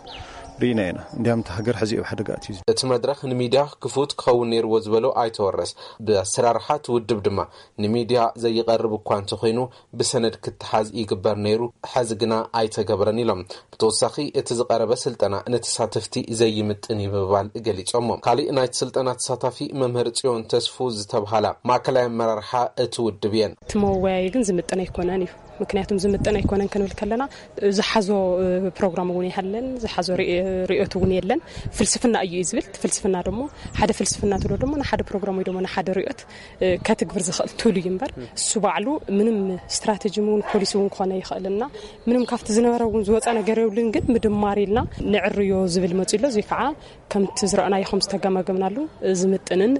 ርኢና ኢና። እንዲያም እቲ ሃገር ሕዚ ኣብ ሓደጋ ኣትዩ። እቲ መድረኽ ንሚድያ ክፉት ክኸውን ነይርዎ ዝበሎ ኣይተወረስ፣ ብኣሰራርሓ እቲ ውድብ ድማ ንሚድያ ዘይቐርብ እኳ እንተኾይኑ ብሰነድ ክተሓዝ ይግበር ነይሩ፣ ሕዚ ግና ኣይተገበረን ኢሎም። ብተወሳኺ እቲ ዝቐረበ ስልጠና ንተሳተፍቲ ዘይምጥን እዩ ብምባል ገሊጾሞ። ካሊእ ናይቲ ስልጠና ተሳታፊ መምህር ጽዮን ተስፉ ዝተብሃላ ማእከላይ ኣመራርሓ እቲ ውድብ እየን። እቲ መወያይ ግን ዝምጥን ኣይኮነን እዩ። ምክንያቱም ዝምጥን ኣይኮነን ክንብል ከለና ዝሓዞ ፕሮግራም እውን ይሃለን ዝሓዞ ርእዮት እውን የለን። ፍልስፍና እዩ እዩ ዝብል። እቲ ፍልስፍና ደሞ ሓደ ፍልስፍና ትሎ ደሞ ንሓደ ፕሮግራም ወይ ደሞ ንሓደ ርእዮት ከተግብር ዝኽእል ቱል እዩ እምበር እሱ ባዕሉ ምንም ስትራተጂ እውን ፖሊሲ እውን ክኾነ ይኽእልና ምንም ካብቲ ዝነበረ እውን ዝወፀ ነገር የብሉን። ግን ምድማር ኢልና ንዕርዮ ዝብል መፂ ኣሎ። እዚ ከዓ ከምቲ ዝረኣናዮ ከም ዝተገማገምናሉ ዝምጥንን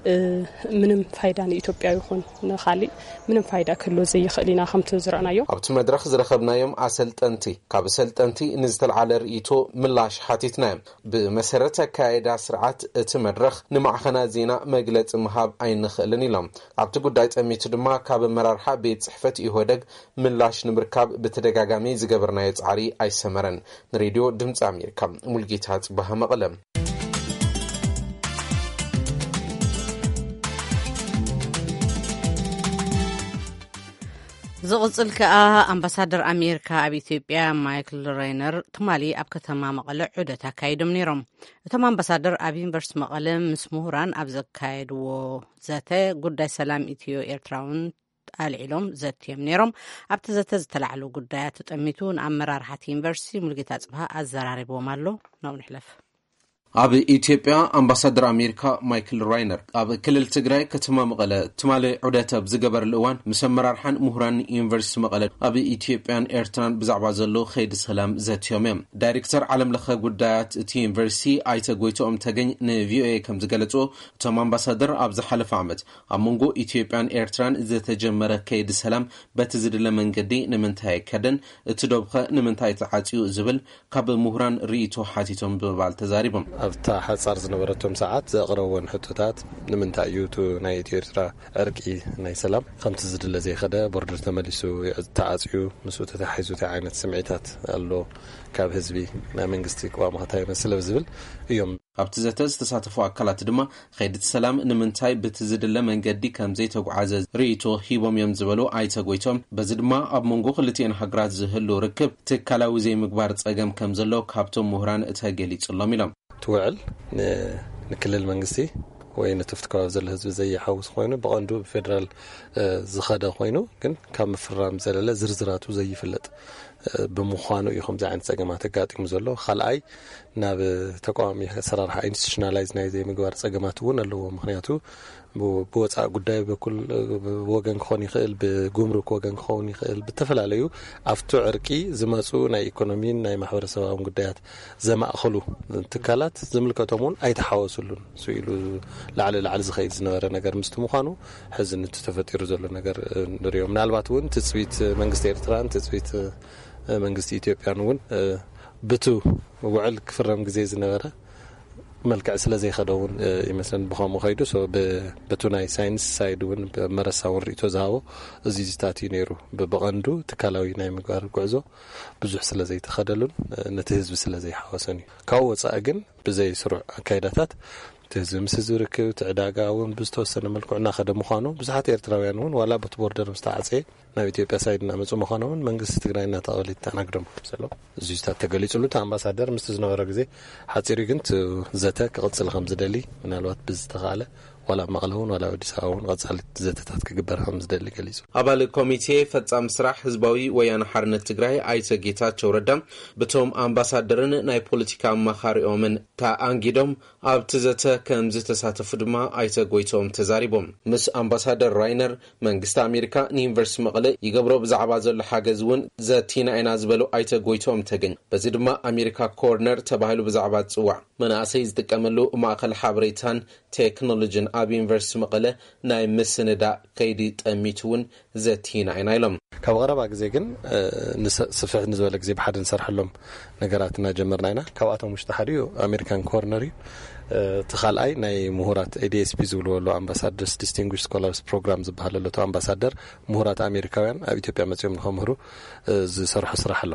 ምንም ፋይዳ ንኢትዮጵያ ይኹን ንኻሊእ ምንም ፋይዳ ክህልዎ ዘይኽእል ኢና ከምቲ ዝረኣናዮ። ኣብቲ መድረኽ ዝረኸብናዮም ኣሰልጠንቲ ካብ ሰልጠንቲ ንዝተልዓለ ርእይቶ ምላሽ ሓቲትናዮም። ብመሰረት ኣካያይዳ ስርዓት እቲ መድረኽ ንማዕኸናት ዜና መግለፂ ምሃብ ኣይንኽእልን ኢሎም። ኣብቲ ጉዳይ ጠሚቱ ድማ ካብ ኣመራርሓ ቤት ፅሕፈት ኢህወደግ ምላሽ ንምርካብ ብተደጋጋሚ ዝገበርናዮ ፃዕሪ ኣይሰመረን። ንሬድዮ ድምፂ ኣሜሪካ ሙልጌታ ፅባሃ መቐለ። ዝቕጽል ከኣ ኣምባሳደር ኣሜሪካ ኣብ ኢትዮጵያ ማይክል ሬይነር ትማሊ ኣብ ከተማ መቐለ ዑደት ኣካይዶም ነይሮም። እቶም ኣምባሳደር ኣብ ዩኒቨርሲቲ መቐለ ምስ ምሁራን ኣብ ዘካየድዎ ዘተ ጉዳይ ሰላም ኢትዮ ኤርትራውን ኣልዒሎም ዘትዮም ነይሮም። ኣብቲ ዘተ ዝተላዕሉ ጉዳያት ተጠሚቱ ንኣመራርሓቲ ዩኒቨርሲቲ ሙልጌታ ጽብሃ ኣዘራሪብዎም ኣሎ። ናብኡ ንሕለፍ። ኣብ ኢትዮጵያ ኣምባሳደር ኣሜሪካ ማይክል ራይነር ኣብ ክልል ትግራይ ከተማ መቐለ ትማሊ ዑደት ኣብ ዝገበረሉ እዋን፣ ምስ ኣመራርሓን ምሁራን ዩኒቨርሲቲ መቐለ ኣብ ኢትዮጵያን ኤርትራን ብዛዕባ ዘሎ ከይዲ ሰላም ዘትዮም እዮም። ዳይሬክተር ዓለም ለኸ ጉዳያት እቲ ዩኒቨርሲቲ ኣይተ ጎይቶኦም ተገኝ ንቪኦኤ ከም ዝገለጹ፣ እቶም ኣምባሳደር ኣብ ዝሓለፈ ዓመት ኣብ መንጎ ኢትዮጵያን ኤርትራን ዝተጀመረ ከይዲ ሰላም በቲ ዝድለ መንገዲ ንምንታይ ኣይከደን፣ እቲ ዶብኸ ንምንታይ ተዓጽዩ ዝብል ካብ ምሁራን ርእይቶ ሓቲቶም ብምባል ተዛሪቦም። ኣብታ ሓጻር ዝነበረቶም ሰዓት ዘቕረብዎን ሕቶታት፣ ንምንታይ እዩ እቲ ናይ ኢትዮ ኤርትራ ዕርቂ ናይ ሰላም ከምቲ ዝድለ ዘይኸደ፣ ቦርደር ተመሊሱ ተዓጽዩ፣ ምስኡ ተተሓሒዙ እንታይ ዓይነት ስምዒታት ኣሎ ካብ ህዝቢ፣ ናይ መንግስቲ ቅዋም እንታይ ይመስል ዝብል እዮም። ኣብቲ ዘተ ዝተሳተፉ ኣካላት ድማ፣ ከይዲ ሰላም ንምንታይ ብቲ ዝድለ መንገዲ ከም ዘይተጓዓዘ ርእይቶ ሂቦም እዮም ዝበሉ ኣይተ ጎይቶም፣ በዚ ድማ ኣብ መንጎ ክልቲኤን ሃገራት ዝህሉ ርክብ ትካላዊ ዘይምግባር ጸገም ከም ዘሎ ካብቶም ምሁራን ተገሊጹሎም ኢሎም። እቲ ውዕል ን-፣ ንክልል መንግስቲ ወይ ነቲ ኣብቲ ከባቢ ዘሎ ህዝቢ ዘይሓውስ ኮይኑ፣ ብቐንዱ ብፌደራል፣ እ፣ ዝኸደ ኮይኑ፣ ግን ካብ ምፍራም ዘለለ ዝርዝራቱ ዘይፍለጥ፣ እ፣ ብምዃኑ እዩ ከምዚ ዓይነት ጸገማት ኣጋጢሙ ዘሎ። ካልኣይ፣ ናብ ተቃዋሚ ኣሰራርሓ ኢንስቲቱሽናላይዝ ናይ ዘይምግባር ጸገማት እውን ኣለዎ። ምኽንያቱ ብ-፣ ብወጻኢ ጉዳይ በኩል፣ እ፣ ወገን ክኾን ይኽእል፣ ብጉምሩክ ወገን ክኸውን ይኽእል፣ ብተፈላለዩ ኣብቲ ዕርቂ ዝመጹ ናይ ኢኮኖሚን ናይ ማሕበረሰባውን ጉዳያት ዘማእኸሉ ትካላት ዝምልከቶም እውን ኣይተሓወሱሉን። ስኢሉ ላዕሊ ላዕሊ ዝኸይድ ዝነበረ ነገር ምስቲ ምዃኑ፣ ሕዚ ንቲ ተፈጢሩ ዘሎ ነገር፣ እ፣ ንሪኦ። ምናልባት እውን ትጽቢት መንግስቲ ኤርትራን ትጽቢት፣ እ፣ መንግስቲ ኢትዮጵያን እውን፣ እ፣ ብቱ ውዕል ክፍረም ግዜ ዝነበረ መልክዕ ስለ ዘይኸደ እውን፣ እ፣ ይመስለን ብኸምኡ ከይዱ። ሶ ብ-፣ በቱ ናይ ሳይንስ ሳይድ እውን ብመረሳ እውን ርእቶ ዝሃቦ እዚ ዝታት እዩ ነይሩ። ብ-፣ ብቐንዱ ትካላዊ ናይ ምግባር ጉዕዞ ብዙሕ ስለ ዘይተኸደሉን፣ እ፣ ነቲ ህዝቢ ስለ ዘይሓወሰን እዩ። ካብኡ ወጻኢ ግን ብዘይ ስሩዕ ኣካይዳታት እቲ ህዝቢ ምስ ህዝቢ ርክብ፣ እቲ ዕዳጋ እውን ብዝተወሰነ መልክዑ እናኸደ ምዃኑ፣ ብዙሓት ኤርትራውያን እውን ዋላ በቲ ቦርደር ምስ ተዓጸየ ናብ ኢትዮጵያ ሳይድ እናመጹ ምዃኖምን መንግስቲ ትግራይ እናተቐበለ ይተኣናግዶም ከም ዘሎ እዚ ዝታት ተገሊጹሉ። እቲ ኣምባሳደር ምስቲ ዝነበሮ ግዜ ሓጺሩ ግን እቲ ዘተ ክቕጽል ከም ዝደሊ፣ ምናልባት ብዝተኻእለ ዋላ ኣብ መቐለ እውን ዋላ ኣብ ኣዲስ ኣበባ እውን ቀጻሊ ዘተታት ክግበር ከም ዝደሊ ገሊጹ። ኣባል ኮሚቴ ፈጻሚ ስራሕ ህዝባዊ ወያነ ሓርነት ትግራይ ኣይተ ጌታቸው ረዳ፣ ብቶም ኣምባሳደርን ናይ ፖለቲካ ኣማኻሪኦምን ተኣንጊዶም ኣብቲ ዘተ ከም ዝተሳተፉ ድማ ኣይተ ጎይቶም ተዛሪቦም። ምስ ኣምባሳደር ራይነር መንግስቲ ኣሜሪካ ንዩኒቨርሲቲ መቐለ ይገብሮ ብዛዕባ ዘሎ ሓገዝ እውን ዘቲና ኢና ዝበሉ ኣይተ ጎይቶም ተገኝ፣ በዚ ድማ ኣሜሪካ ኮርነር ተባሂሉ ብዛዕባ ዝጽዋዕ መናእሰይ ዝጥቀመሉ ማእኸል ሓበሬታን ቴክኖሎጂን ኣብ ዩኒቨርሲቲ መቐለ ናይ ምስንዳእ ከይዲ ጠሚቱ እውን ዘቲና ኢና ኢሎም። ካብ ቀረባ ግዜ ግን፣ እ፣ ንሰ-፣ ስፍሕ ንዝበለ ግዜ ብሓደ ንሰርሐሎም ነገራት እናጀመርና ኢና። ካብኣቶም ውሽጢ ሓደ እዩ ኣሜሪካን ኮርነር እዩ። እ፣ እቲ ካልኣይ ናይ ምሁራት ኤ ዲ ኤስ ፒ ዝብልዎ ኣሎ፣ ኣምባሳደርስ ዲስቲንጉሽ ስኮላርስ ፕሮግራም ዝበሃል ኣሎ። እቲ ኣምባሳደር ምሁራት ኣሜሪካውያን ኣብ ኢትዮጵያ መጺኦም ንኸምህሩ፣ እ፣ ዝሰርሑ ስራሕ ኣሎ።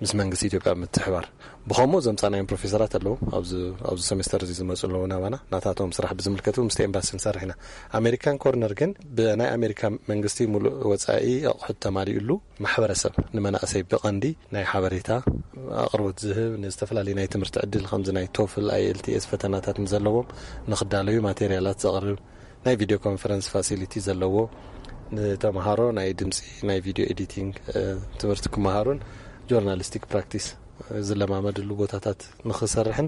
ምስ መንግስቲ ኢትዮጵያ ምትሕባር። ብኸምኡ ዘምጻናዮም ፕሮፌሰራት ኣለዉ። ኣብዚ፣ ኣብዚ ሴሜስተር እዚ ዝመጹ ኣለዉ ናባና። ናታቶም ስራሕ ብዝምልከት እውን ምስቲ ኤምባሲ ንሰርሕ ኢና። ኣሜሪካን ኮርነር ግን ብናይ ኣሜሪካ መንግስቲ ሙሉእ ወጻኢ ኣቑሑት ተማሊኡሉ፣ ማሕበረሰብ ንመናእሰይ ብቐንዲ ናይ ሓበሬታ ኣቕርቦት ዝህብ፣ ንዝተፈላለዩ ናይ ትምህርቲ ዕድል ከምዚ ናይ ቶፍል፣ ኣይ ኤል ቲ ኤስ ፈተናታት ንዘለዎም ንኽዳለዩ ማቴሪያላት ዘቕርብ፣ ናይ ቪድዮ ኮንፈረንስ ፋሲሊቲ ዘለዎ፣ ንተምሃሮ ናይ ድምፂ፣ ናይ ቪድዮ ኤዲቲንግ፣ እ፣ ትምህርቲ ክመሃሩን ጆርናሊስቲክ ፕራክቲስ ዝለማመድሉ ቦታታት ንኽሰርሕን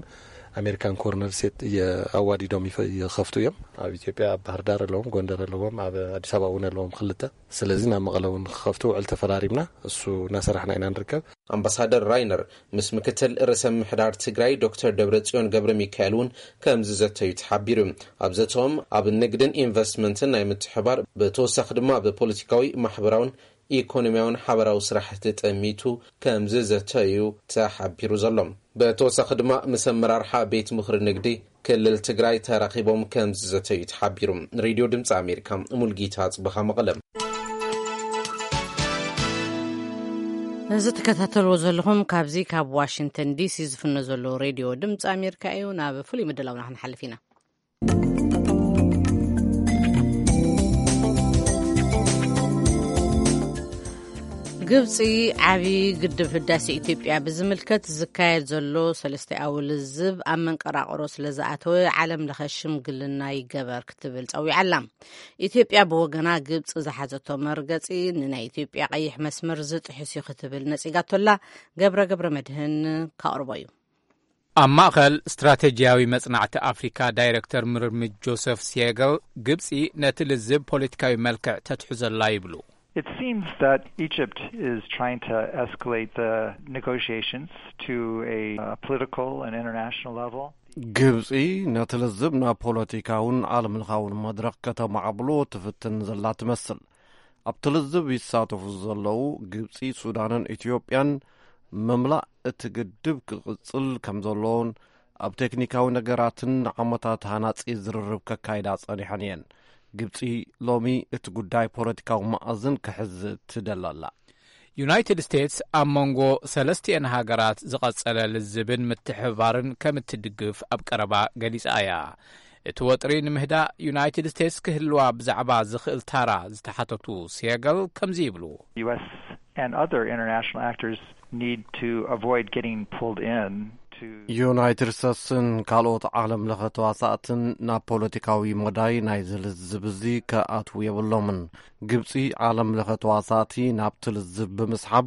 ኣሜሪካን ኮርነር ሴት እየ-፣ ኣዋዲዶም ይፈ-፣ ይኸፍቱ እዮም። ኣብ ኢትዮጵያ ኣብ ባህር ዳር ኣለዎም፣ ጎንደር ኣለዎም፣ ኣብ ኣዲስ ኣበባ እውን ኣለዎም ክልተ። ስለዚ ናብ መቐለ እውን ንኽኸፍቱ ውዕል ተፈራሪምና፣ እሱ እናሰራሕና ኢና ንርከብ። ኣምባሳደር ራይነር ምስ ምክትል ርእሰ ምምሕዳር ትግራይ ዶክተር ደብረጽዮን ገብረ ሚካኤል እውን ከም ዝዘተዩ ተሓቢሩ። ኣብ ዘተኦም ኣብ ንግድን ኢንቨስትመንትን ናይ ምትሕባር፣ ብተወሳኺ ድማ ብፖለቲካዊ፣ ማሕበራውን ኢኮኖሚያውን ሓበራዊ ስራሕቲ ጠሚቱ ከም ዝዘተዩ ተሓቢሩ ዘሎ። ብተወሳኺ ድማ ምስ ኣመራርሓ ቤት ምኽሪ ንግዲ ክልል ትግራይ ተራኺቦም ከም ዝዘተዩ ተሓቢሩ። ንሬድዮ ድምፂ ኣሜሪካ ሙልጌታ ጽበኻ መቐለ። እዚ ትከታተልዎ ዘለኹም ካብዚ ካብ ዋሽንግተን ዲ ሲ ዝፍኖ ዘሎ ሬድዮ ድምፂ ኣሜሪካ እዩ። ናብ ፍሉይ ምድላውና ክንሓልፍ ኢና። ግብፂ ዓብዪ ግድብ ህዳሴ ኢትዮጵያ ብዝምልከት ዝካየድ ዘሎ ሰለስተኣዊ ልዝብ ኣብ መንቀራቕሮ ስለ ዝኣተወ ዓለም ለኸ ሽምግልና ይገበር ክትብል ጸዊዓ ኣላ። ኢትዮጵያ ብወገና ግብፂ ዝሓዘቶ መርገፂ ንናይ ኢትዮጵያ ቀይሕ መስመር ዝጥሕስ እዩ ክትብል ነፂጋቶ ኣላ። ገብረ ገብረ መድህን ከቕርቦ እዩ። ኣብ ማእኸል ስትራቴጂያዊ መጽናዕቲ ኣፍሪካ ዳይረክተር ምርምር ጆሰፍ ሲየገል፣ ግብጺ ነቲ ልዝብ ፖለቲካዊ መልክዕ ተትሕዘላ ይብሉ። It seems that Egypt is trying to escalate the negotiations to a, uh, political and international level. ግብጺ ነቲ ልዝብ ናብ ፖለቲካውን ዓለምለኻውን መድረኽ ከተማዕብሎ ትፍትን ዘላ ትመስል። ኣብቲ ልዝብ ይሳተፉ ዘለዉ ግብጺ፣ ሱዳንን ኢትዮጵያን ምምላእ እቲ ግድብ ክቕጽል ከም ዘለዎን ኣብ ቴክኒካዊ ነገራትን ንዓመታት ሃናጺ ዝርርብ ከካይዳ ጸኒሐን እየን። ግብጺ ሎሚ እቲ ጉዳይ ፖለቲካዊ መኣዝን ክሕዝ ትደሊ ኣላ። ዩናይትድ ስቴትስ ኣብ መንጎ ሰለስቲኤን ሃገራት ዝቐጸለ ልዝብን ምትሕብባርን ከም እትድግፍ ኣብ ቀረባ ገሊጻ እያ። እቲ ወጥሪ ንምህዳእ ዩናይትድ ስቴትስ ክህልዋ ብዛዕባ ዝኽእል ታራ ዝተሓተቱ ሴገል ከምዚ ይብሉ። U S and other international actors need to avoid getting pulled in to ዩናይትድ ስቴትስን ካልኦት ዓለም ለኸ ተዋሳእትን ናብ ፖለቲካዊ መዳይ ናይ ዝልዝብ እዚ ከኣትዉ የብሎምን። ግብጺ ዓለም ለኸ ተዋሳእቲ ናብቲ ልዝብ ብምስሓብ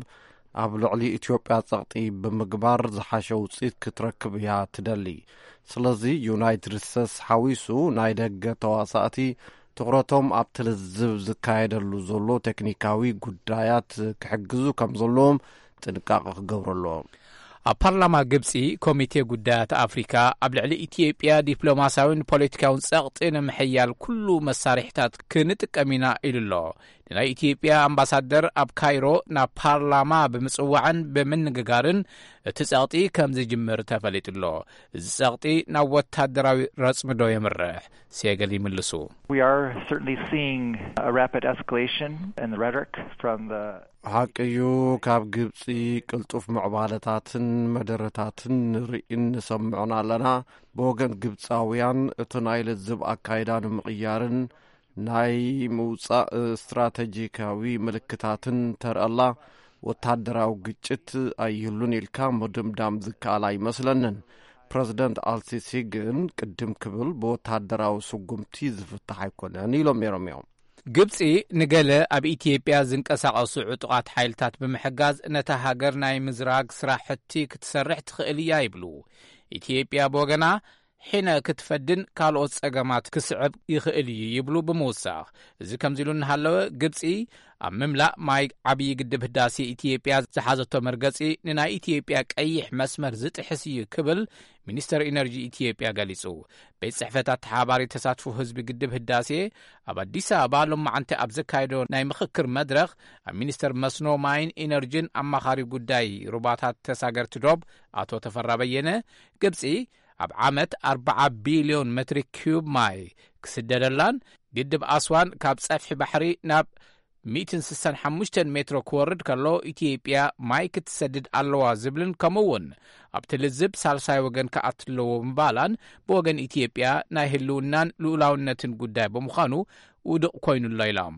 ኣብ ልዕሊ ኢትዮጵያ ጸቕጢ ብምግባር ዝሓሸ ውጽኢት ክትረክብ እያ ትደሊ። ስለዚ ዩናይትድ ስቴትስ ሓዊሱ ናይ ደገ ተዋሳእቲ ትኹረቶም ኣብቲ ልዝብ ዝካየደሉ ዘሎ ቴክኒካዊ ጉዳያት ክሕግዙ ከም ዘለዎም ጥንቃቐ ክገብሩ ኣለዎም። ኣብ ፓርላማ ግብጺ ኮሚቴ ጉዳያት ኣፍሪካ ኣብ ልዕሊ ኢትዮጵያ ዲፕሎማሲያዊን ፖለቲካውን ጸቕጢ ንምሕያል ኩሉ መሳርሒታት ክንጥቀም ኢና ኢሉ ኣሎ። ንናይ ኢትዮጵያ ኣምባሳደር ኣብ ካይሮ ናብ ፓርላማ ብምጽዋዕን ብምንግጋርን እቲ ጸቕጢ ከም ዝጅምር ተፈሊጡ ኣሎ። እዚ ጸቕጢ ናብ ወታደራዊ ረጽሚ ዶ የምርሕ? ሴገል ይምልሱ። We are certainly seeing a rapid escalation in the rhetoric from the ሓቂ እዩ፣ ካብ ግብጺ ቅልጡፍ ምዕባለታትን መደረታትን ንርእን ንሰምዕን ኣለና። ብወገን ግብጻውያን እቲ ናይ ልዝብ ኣካይዳ ንምቕያርን ናይ ምውጻእ ስትራተጂካዊ ምልክታትን ተርእላ፣ ወታደራዊ ግጭት ኣይህሉን ኢልካ ምድምዳም ዝከኣል ኣይመስለንን። ፕረዚደንት ኣልሲሲ ግን ቅድም ክብል ብወታደራዊ ስጉምቲ ዝፍታሕ ኣይኮነን ኢሎም ነይሮም እዮም። ግብጺ ንገለ ኣብ ኢትዮጵያ ዝንቀሳቐሱ ዕጡቓት ሓይልታት ብምሕጋዝ ነታ ሃገር ናይ ምዝራግ ስራሕቲ ክትሰርሕ ትኽእል እያ ይብሉ። ኢትዮጵያ ብወገና ሒነ ክትፈድን ካልኦት ጸገማት ክስዕብ ይኽእል እዩ ይብሉ ብምውሳኽ፣ እዚ ከምዚ ኢሉ እናሃለወ ግብጺ ኣብ ምምላእ ማይ ዓብዪ ግድብ ህዳሴ ኢትዮጵያ ዝሓዘቶ መርገጺ ንናይ ኢትዮጵያ ቀይሕ መስመር ዝጥሕስ እዩ ክብል ሚኒስተር ኢነርጂ ኢትዮጵያ ገሊጹ። ቤት ጽሕፈት ኣተሓባሪ ተሳትፎ ህዝቢ ግድብ ህዳሴ ኣብ ኣዲስ ኣበባ ሎማዓንቲ ኣብ ዘካየዶ ናይ ምኽክር መድረኽ ኣብ ሚኒስተር መስኖ ማይን ኢነርጂን ኣማኻሪ ጉዳይ ሩባታት ተሳገርቲ ዶብ ኣቶ ተፈራ በየነ ግብጺ ኣብ ዓመት ኣርብዓ ቢልዮን ሜትሪ ኪዩብ ማይ ክስደደላን ግድብ ኣስዋን ካብ ጸፍሒ ባሕሪ ናብ ሚእትን ስሳን ሓሙሽተን ሜትሮ ክወርድ ከሎ ኢትዮጵያ ማይ ክትሰድድ ኣለዋ ዝብልን ከምኡ እውን ኣብቲ ልዝብ ሳልሳይ ወገን ክኣቱ ኣለዎ ምባላን ብወገን ኢትዮጵያ ናይ ህልውናን ልኡላውነትን ጉዳይ ብምዃኑ ውዱቕ ኮይኑ ኣሎ ኢሎም።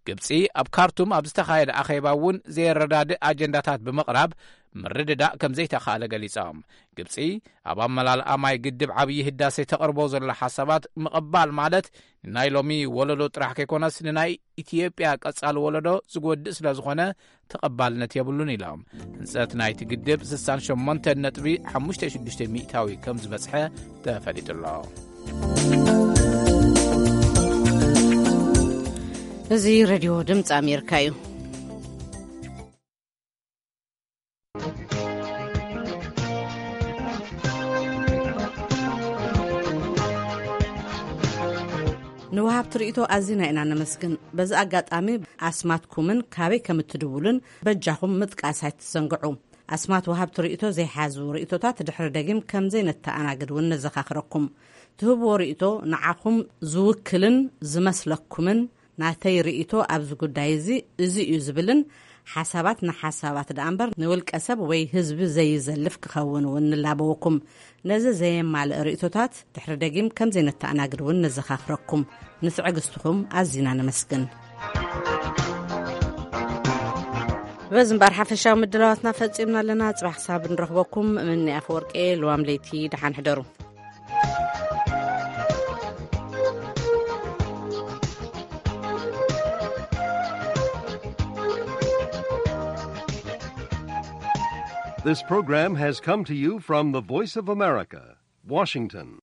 ግብጺ ኣብ ካርቱም ኣብ ዝተኻየደ ኣኼባ እውን ዘየረዳድእ ኣጀንዳታት ብምቕራብ ምርድዳእ ከም ዘይተኻእለ ገሊጾም። ግብጺ ኣብ ኣመላልኣ ማይ ግድብ ዓብዪ ህዳሴ ተቕርቦ ዘላ ሓሳባት ምቕባል ማለት ንናይ ሎሚ ወለዶ ጥራሕ ከይኮነስ ንናይ ኢትዮጵያ ቀጻሊ ወለዶ ዝጎድእ ስለ ዝኾነ ተቐባልነት የብሉን ኢሎም። ህንጸት ናይቲ ግድብ ስሳን ሸሞንተን ነጥቢ ሓሙሽተ ሽዱሽተ ሚእታዊ ከም ዝበጽሐ ተፈሊጡ ኣሎ። እዚ ሬድዮ ድምፂ ኣሜሪካ እዩ። ንወሃብቲ ርእይቶ ኣዚና ኢና ነመስግን። በዚ ኣጋጣሚ ኣስማትኩምን ካበይ ከም እትድውሉን በጃኹም ምጥቃስ ኣይትዘንግዑ። ኣስማት ወሃብቲ ርእይቶ ዘይሓዙ ርእይቶታት ድሕሪ ደጊም ከም ዘይነተኣናግድ እውን ነዘኻኽረኩም። ትህብዎ ርእይቶ ንዓኹም ዝውክልን ዝመስለኩምን ናተይ ርእይቶ ኣብዚ ጉዳይ እዚ እዚ እዩ ዝብልን ሓሳባት ንሓሳባት ደኣ እምበር ንውልቀ ሰብ ወይ ህዝቢ ዘይዘልፍ ክኸውን እውን ንላበወኩም። ነዚ ዘየማልእ ርእይቶታት ድሕሪ ደጊም ከም ዘይነተኣናግድ እውን ነዘኻኽረኩም። ንትዕግስትኹም ኣዚና ነመስግን። በዚ እምበኣር ሓፈሻዊ ምድላዋትና ፈጺምና ኣለና። ጽባሕ ክሳብ ንረኽበኩም፣ እምኒ ኣፈወርቂ፣ ልዋም ለይቲ፣ ደሓን ሕደሩ። This program has come to you from the Voice of America, Washington.